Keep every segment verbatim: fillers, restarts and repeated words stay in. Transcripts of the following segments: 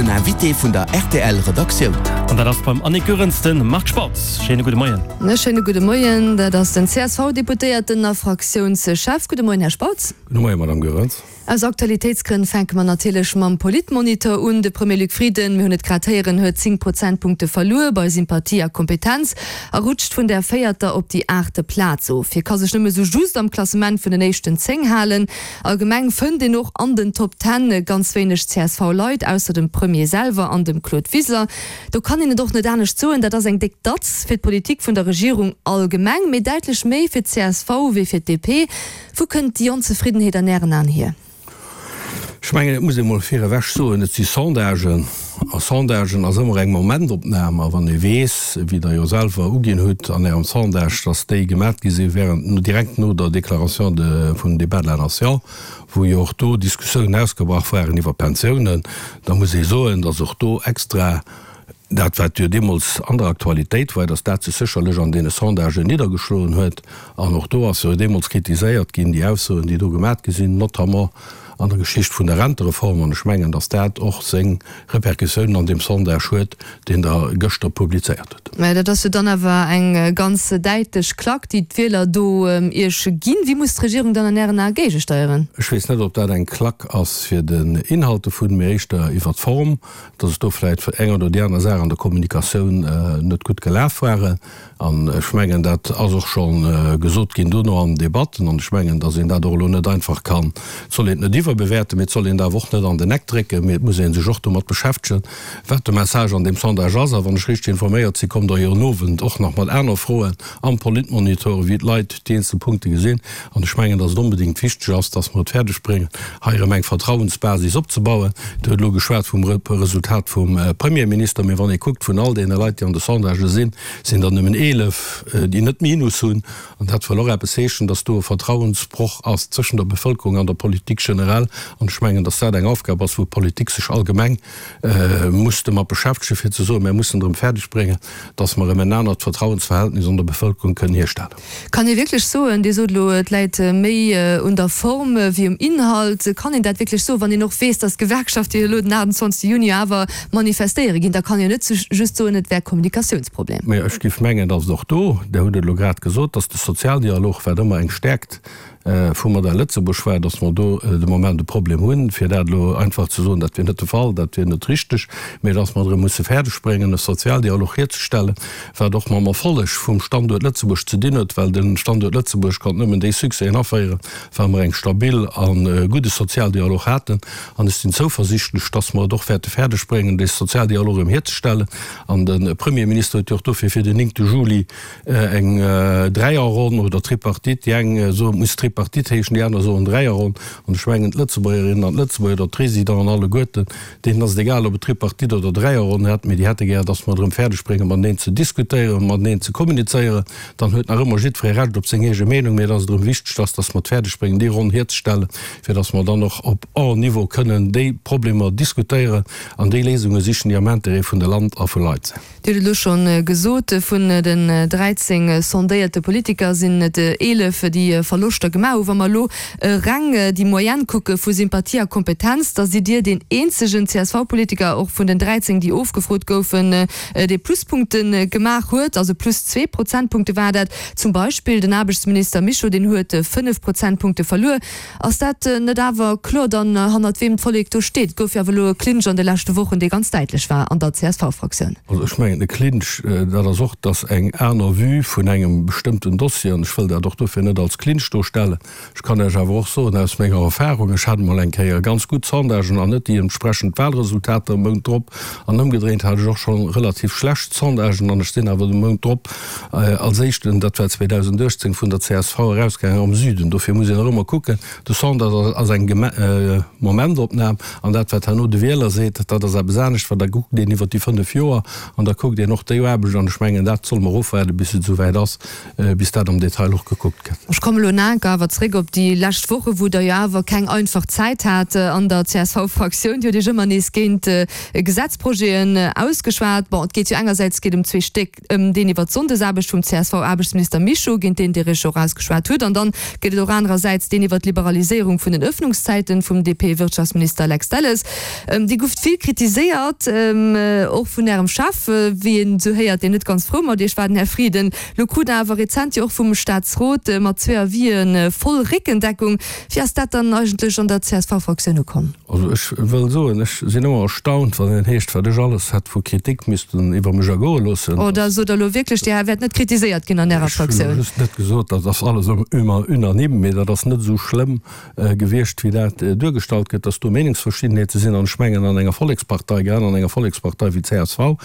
Den Invité vun der R T L Redaktioun. An dat ass beim Annick Goerens de Marc Spautz. Schéine gudde Moien. E schéine gudde Moien, dat ass den C S V-Deputéierten a Fraktiounschef. Gudde Moien, Här Spautz. Gudde Moien, Madame Goerens. Aus Aktualitéitsgrënn fänke mer natierlech mam Politmonitor un. De Premier Luc Frieden, mir hunn et grad héieren, huet zéng Prozentpunkte verluer bei Sympathie a Kompetenz a rutscht vun der véierter op déi aachte Plaz of. Hie ka sech nëmme sou just am Klassement vun den éischten zéng halen. Allgemeng fënnt een och an den Top Ten ganz wéineg C S V-Leit, ausser dem Premier selwer an dem Claude Wiseler. Do kann een et och net anescht soen, dat ass eng déck Datz fir d'Politik vun der Regierung allgemeng, mee däitlech méi fir d'C S V wéi fir d'D P. Wou kënnt déi Onzefriddenheet an Ären Aen hier? Ech mengen, et muss ee mol virewech soen, et si Sondagen, a Sondagen ass ëmmer eng Momentopnam, a wann ee weess, wéi Der jo selwer uginn hutt an Ärem Sondage, datt déi gemat gi si während, direkt no der Déclaration de, vum Débat de la Nation, wou jo och do Diskussiounen ausgebrach waren iwwer Pensiounen, da muss ee soen, datt och do extra dat, wat jo deemools an der Aktualitéit war, datt dat sech sécherlech an deene Sondagen niddergeschloen huet. An och do ass jo deemools kritiséiert ginn, déi Aussoen, déi do gemat gi sinn, notamment an der Geschicht vun der Rentereform. An ech mengen, datt dat och seng Repercussiounen an deem Sondage huet, deen Der gëschter publizéiert hutt. Mä dat ass jo dann awer eng ganz däitlech Klack, déi d'Wieler do Iech ginn. Wéi muss d'Regierung dann an Ären Ae géigesteieren? Ech weess net, ob dat eng Klack ass fir den Inhalt dovun, mee éischter iwwer d'Form, datt et do vläicht eng oder déi aner Saach an der Kommunikatioun net gutt gelaf waren. An ech mengen, dat ass och scho gesot ginn dono an den Debatten. An ech mengen, datt een dat och elo net einfach kann, et soll een et net iwwerbewäerten, mee et soll een et awer och net an den Eck drécken, mee et muss ee sech och domat beschäftegen, wat de Message an deem Sondage ass. A wann ech richteg informéiert sinn, kommt Der jo en Owend och nach mat aner Froen am Politmonitor, wéi d'Leit déi eenzel Punkte gesinn. An ech mengen, datt et onbedéngt wichteg ass, datt mer et fäerdeg bréngen, hei erëm eng Vertrauensbasis opzebauen. Dir hutt elo geschwat vum Resultat vum Premierminister, mee wann ee kuckt, vun all deene Leit, déi an de Sondagë sinn, sinn der nëmmen eelef, déi net Minus hunn. An dat wëll och eppes heeschen, datt do e Vertrauensbroch ass zwëschen der Bevëlkerung an der Politik generell. An ech mengen, datt dat eng Aufgab ass, wou d'Politik sech allgemeng muss domat beschäftegen, fir ze soen, Mir mussen erëm fäerdeg bréngen, datt mer erëm en anert Vertrauensverhältnis an der Bevëlkerung kënnen hierstellen. Kann ee wierklech soen, Dir sot elo, et läit méi un der Form wéi um Inhalt, kann een dat wierklech soen, wann een och weess, datt d'Gewerkschafte jo elo den achtundzwanzegste Juni awer manifestéiere ginn? Da kann een jo net just soen, et wär e Kommunikatiounsproblem. Mä ech géif mengen, datt et och do, Dir hutt et elo grad gesot, datt de Sozialdialog, wat ëmmer eng Stäerkt vum Modell Lëtzebuerg war, datt mer do de Moment e Problem hunn. Fir dat elo einfach ze soen, dat wier net de Fall, dat wier net richteg, mä datt mer erëm musse fäerdeg bréngen, e Sozialdialog hierzestellen, wat och mam Erfolleg vum Standuert Lëtzebuerg ze dinn huet, well de Standuert Lëtzebuerg konnt nëmmen déi Succèsen aféieren, well mer eng stabil a gudde Sozialdialog haten. An ech sinn zouversichtlech, datt mer et och wäerte fäerdeg bréngen, dee Sozialdialog erëm hierzestellen. An de Premierminister huet jo och dofir fir den néngte Juli eng Dräierronn oder Tripartite, déi eng soen, et muss Tripartite heeschen, déi aner soen Dräierronn. An ech mengen, d'Lëtzebuergerinnen an d'Lëtzebuerger oder d'Résidenten alleguerten, deenen ass et egal, ob et Tripartite oder Dräierronn hätt, mee déi hätte gär, datt mer et erëm fäerdeg bréngen, mateneen ze diskutéieren, mateneen ze kommunizéieren. Dann huet nach ëmmer jiddweree Recht op seng eege Meenung, mee et ass et erëm wichteg, datt, datt mer et fäerdeg bréngen, déi Ronn hierzestellen, fir datt mer dann och op all Niveau kënnen déi Problemer diskutéieren an déi Léisunge sichen, déi am Intérêt vun de Land a vu Leit sinn. Dir hutt et elo schonn gesot, vun den dräizéng sondéierte Politiker sinn et eelef, déi Verloschter gemaach hunn. Wa mer elo reng déi Moyenne kucke vu Sympathie a Kompetenz, da sidd Dir deen eenzegen C S V-Politiker, och vun den dräizéng, déi ofgefrot goufen, dee Pluspunkte gemaach huet, also plus zwee Prozentpunkte war dat. Zum Beispill den Aarbechtsminister Mischo, deen huet fënnef Prozentpunkte verluer. Ass dat net awer kloer dann, hannert weem d'Vollek do steet? Et gouf jo awer elo e Clinch an de leschte Wochen, dee ganz däitlech war an der C S V-Fraktioun. Also ech mengen, e Clinch, dat ass och, dass eng aner Vue vun engem bestëmmten Dossier, an ech wëll dat och dofir net als Clinch dostellen. Ech kann Iech awer och soen aus menger Erfahrung, ech hat emol eng Kéier ganz gutt Sondagen an net déi entsprechend Wahlresultater e Mount drop, an ëmgedréint hat ech och scho relativ schlecht Sondagen an ech sinn awer de Mount drop als éischten, dat war zweedausendachtzéng, vun der C S V erausgaangen am Süden. Dofir muss een och ëmmer kucken, de Sondage ass eng Momentopnam an dat wat herno de Wieler seet, dat ass eppes anescht, well da kuckt een iwwer déi fënnef Joer an da kuckt een och déi Aarbecht an ech mengen, dat solle mer ofwaarden, bis et esouwäit ass, bis dat am Detail och gekuckt gëtt. Ech kommen elo nach enker awer zréck op déi lescht Woche, wou Der jo awer keng einfach Zäit hat an der C S V-Fraktioun. Dir hutt Iech ëmmer nees géint Gesetzprojeten ausgeschwat. Bon, et geet jo engersäits geet ëm zwee Stéck, ëm deen iwwer d'Sonndesaarbecht vum C S V-Aarbechtsminister Mischo, géint deen Dir Iech och ausgeschwat hutt, an dann geet et och anerersäits deen iwwer d'Liberaliséierung vun den Öffnungszäiten vum D P-Wirtschaftsminister Lex Delles. Dir gouft vill kritiséiert, och vun Ärem Chef, wéi een esou héiert, deen net ganz frou mat Iech war, den Här Frieden. Lo krut Der awer rezent jo och vum Staatsrot mat zwee Avisë voll Réckendeckung. Wéi ass dat dann eigentlech an der C S V-Fraktioun ukomm? Also ech wëll soen, ech sinn ëmmer erstaunt, wann een heescht, wat ech alles hätt vu Kritik missten iwwer mech ergoe loossen. Oh, da sot Der elo wierklech, Dir wäert net kritiséiert ginn an Ärer Fraktioun. Ech hunn just net gesot, dat ass alles ëmmer unanime, mee dat ass net esou schlëmm gewiescht, wéi dat duergestallt gëtt, dass do Meenungsverschiddenheete sinn. An ech mengen, an enger Vollekspartei, grad an enger Vollekspartei wéi C S V,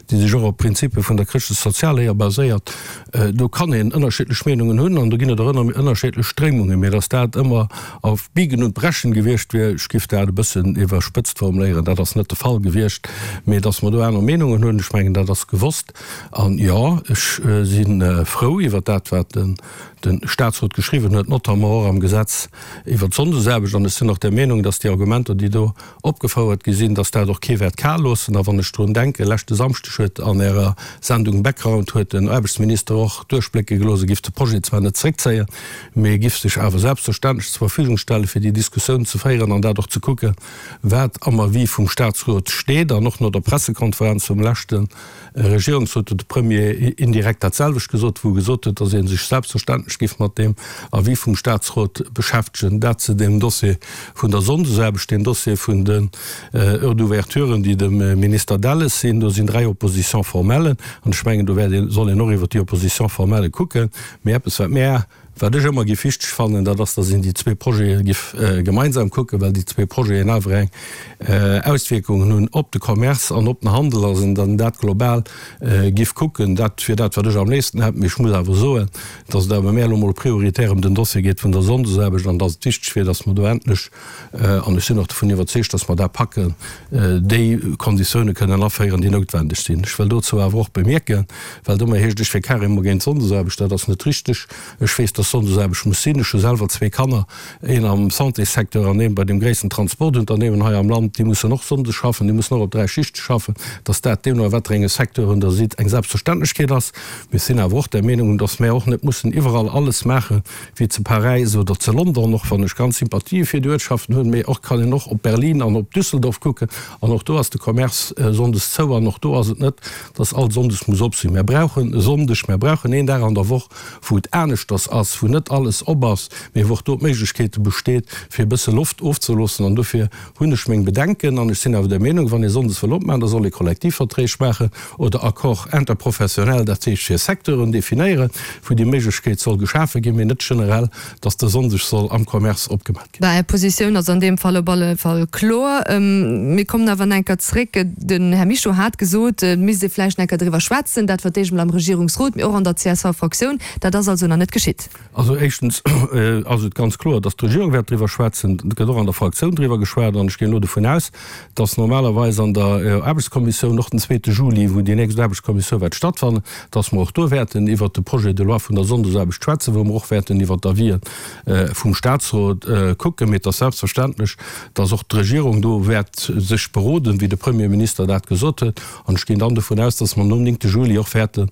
déi sech och op Prinzipe vun der chrëschtlech-sozialer baséiert, do kann een ënnerschiddlech Meenungen hunn an do ginn et och ënnerschiddlech Stréimungen. Mee dass dat ëmmer auf Biegen und Brechen gewiescht wier, ech giff dat e bëssen iwwerspëtzt formuléieren, dat ass net de Fall gewiescht. Mee dass mer do aner Meenungen hunn, ech mengen, dat ass gewosst. An jo, ech si frou iwwer dat, wat den de Staatsrot geschriwwen huet, notamment och am Gesetz iwwer d'Sonndesaarbecht. An ech sinn och der Meenung, dass déi Argumenter, déi do opgefouert gi sinn, dass dat och kee wäert kal loossen. A wann ech drun denken, leschte Samschdeg huet an Ärer Sendung Background huet den Aarbechtsminister och duerchblécke gelooss, e giff de Projet zwar net zréckzéien, mee e giff sech awer selbstverständlech zur Verfügung stellen, fir déi Diskussioun ze féieren an dat och ze kucken, wat am Avis vum Staatsrot steet. An och no der Pressekonferenz vum leschte Regierungsrot huet de Premier indirekt dat selwecht gesot, wou e gesot huet, dass ee sech selbstverständlech giff mat deem Avis vum Staatsrot beschäftegen. Dat zu deem Dossier vun der Sonndesaarbecht, deem Dossier vun den Heures d'ouverturen, déi dem Minister Delles sinn. Do sinn dräi Oppositions formelles an ech mengen, do wäert een, soll een och iwwer déi Oppositions formelles kucken. Mee eppes, wat mär, wat ech ëmmer giff wichteg fannen, dat ass, dass een déi zwee Projete giff gemeinsam kucken, well déi zwee Projeten awer eng Auswierkungen hunn op de Commerce an op den Handel, dass een dann dat global giff kucken. Dat wier dat, wat ech am léifsten hätt. Mee ech muss awer soen, dass et awer mär elo mol prioritär ëm den Dossier geet vun der Sonndesaarbecht an dass et wichteg wier, dass mer do endlech, an ech sinn och dovun iwwerzeegt, dass mer dat packen, déi Konditioune kënnen aféieren, déi noutwendeg sinn. Ech wëll dozou awer och bemierken, well et ëmmer heescht, ech wier carrément géint d'Sonndesaarbecht, dat ass net richteg. Ech weess, dass Sonndesaarbecht muss sinn. Ech hu selwer zwee Kanner, een am Santéssecteur an een bei deem gréissten Transportunternehmen hei am Land. Déi mussen och sonndes schaffen, déi mussen och op dräi Schichte schaffen. Dass dat deemno a wat fir enge Secteuren Der sidd, eng Selbstverständlechkeet ass. Mir sinn awer och der Meenung, dass mär och net mussen iwwerall alles maache wéi zu Paräis oder zu London, och wann ech ganz Sympathië fir déi Uertschaften hunn. Mee och kann een och op Berlin an op Düsseldorf kucken an och do ass de Commerce sonndes zou an och do ass et net, dass all sonndes muss op sinn. Mär brauchen e Sonndeg, mär brauchen een Dag an der Woch, wou et aneschters ass, wou net alles op ass, mee wou och do d'Méiglechkeete besteet, fir e bësse Loft ofzeloossen. An dofir hunn ech meng Bedenken. An ech sinn awer der Meenung, wann ee sonndes wëll opmaachen, da soll ee Kollektivverträg maachen oder Accord interprofessionnel, dat heescht fir Secteuren definéieren, wou déi Méiglechkeet soll geschafe ginn, mee net generell, dass de Sonndeg soll am Commerce opgemaach ginn. Bah, Är Positioun ass an deem Fall op alle Fall kloer. Mir kommen awer nach eng Kéier zréck. Den Här Mischo hat gesot, et misst ee vläicht nach eng Kéier driwwer schwätzen, dat fir d'éischt emol am Regierungsrot, mee och an der C S V-Fraktioun. Dat ass also nach net geschitt. Also éischtens ass et ganz kloer, dass d'Regierung wäert driwwer schwätzen. Et gëtt och an der Fraktioun driwwer geschwat. An ech ginn elo dovun aus, dass normalerweis an der Aarbechtskommissioun och den zweete Juli, wou déi nächst Aarbechtskommissioun wäert stattfannen, dass mer och do wäerten iwwert de Projet de loi vun der Sonndesaarbecht schwätzen, wou mer och wäerten iwwert d'Avisë vum Statsrot kucken. Mee et ass selbstverständlech, dass och d'Regierung do wäert sech beroden, wéi de Premierminister dat gesot huet. An ech ginn dann dovun aus, dass mer nom néngte Juli och wäerten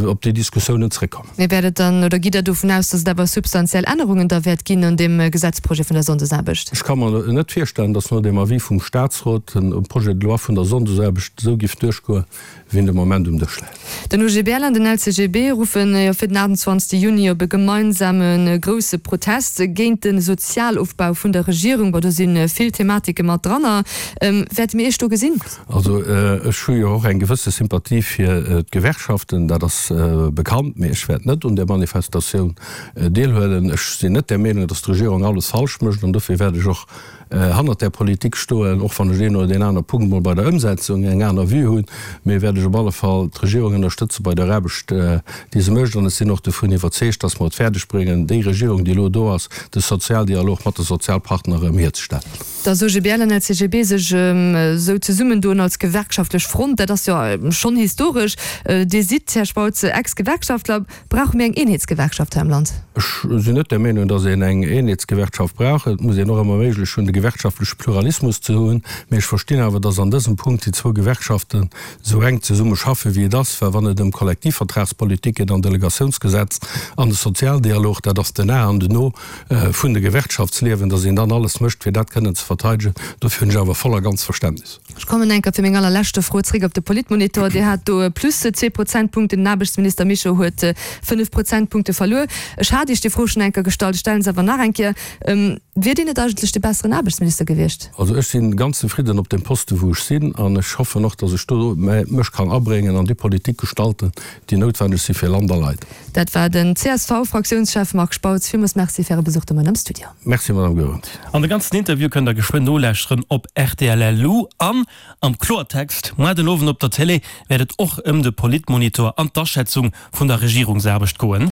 op déi Diskussiounen zréckkommen. Mee wäert et dann, oder gitt Der dovun aus, dass et awer substantiell Ännerungen da wäert ginn un deem Gesetzprojet vun der Sonndesaarbecht? Ech ka mer net virstellen, dass no deem Avis vum Statsrot den Projet de loi vun der Sonndesaarbecht esou giff duerchgoen, wéi en de Moment um Dësch läit. Den U G B L an den L C G B ruffen jo fir den aachtundzwanzegste Juni op e gemeinsame grousse Protest géint de Sozialofbau vun der Regierung. Bon, do si vill Thematike mat dranner. Wäerte mir Iech do gesinn? Also ech hu jo och eng gewësse Sympathie fir d'Gewerkschaften, dat ass bekannt, mee ech wäert net un där Manifestatioun deelhuelen. Ech sinn net der Meenung, datt d'Regierung alles falsch mécht an dofir wäert ech och hannert där Politik stoen, och wann ech deen oder deen anere Punkt mol bei der Ëmsetzung eng aner Vue hunn, mee wäert ech op alle Fall d'Regierung ënnerstëtze bei der Aarbecht, déi se mécht. An ech sinn och dovun iwwerzeegt, dass mer et fäerdeg bréngen, déi Regierung, déi elo do ass, de Sozialdialog mat de Sozialpartner erëm hierzestellen. Dass OGBL an LCGB sech esou zesummendoen als gewerkschaftlech Front, dat ass jo schonn historesch. Dir sidd, Här Spautz, Ex-Gewerkschaftler. Brauche mir eng Eenheetsgewerkschaft hei am Land? Ech sinn net der Meenung, dass een eng Eenheetsgewerkschaft brauch. Et muss een och ëmmer méiglech hunn, de gewerkschaftleche Pluralismus ze hunn. Mee ech verstinn awer, dass an dësem Punkt déi zwou Gewerkschaften esou enk zesumme schaffen, wéi et ass. Well wann et ëm Kollektivvertragspolitik geet an Delegatiounsgesetz an de Sozialdialog, dat ass den A an den O vun de Gewerkschaftsliewen, dass een dann alles mécht, fir dat kënnen ze verteidegen. Dofir hunn ech awer voll a ganz Verständnis. Ech kommen eng Kéier fir meng allerleschte Fro zréck op de Politmonitor. Dir hat do plus zwee Prozentpunkten, den Aarbechtsminister Mischo huet fënnef Prozentpunkte verluer. Ech hat Iech déi Fro schonn eng Kéier gestallt, ech stellen se awer nach eng Kéier. Wier Dir net eigentlech de besseren Aarbechtsminister gewiescht? Also ech si ganz zefridden op deem Poste wou ech sinn an ech hoffen och, datt ech do mech kann abréngen an déi Politik gestalten, déi noutwenneg si fir Land a Leit. Dat war den C S V-Fraktiounschef Marc Spautz. Villmools Merci fir Äre Besuch de Moien am Studio. Merci, Madame Goerens. An de ganzen Interview kënnt der geschwënn nolauschteren op R T L L U an am Kloertext. Muer den Owend op der Télé wäert et och ëm de Politmonitor an d'Aschätzung vun der Regierungsaarbecht goen.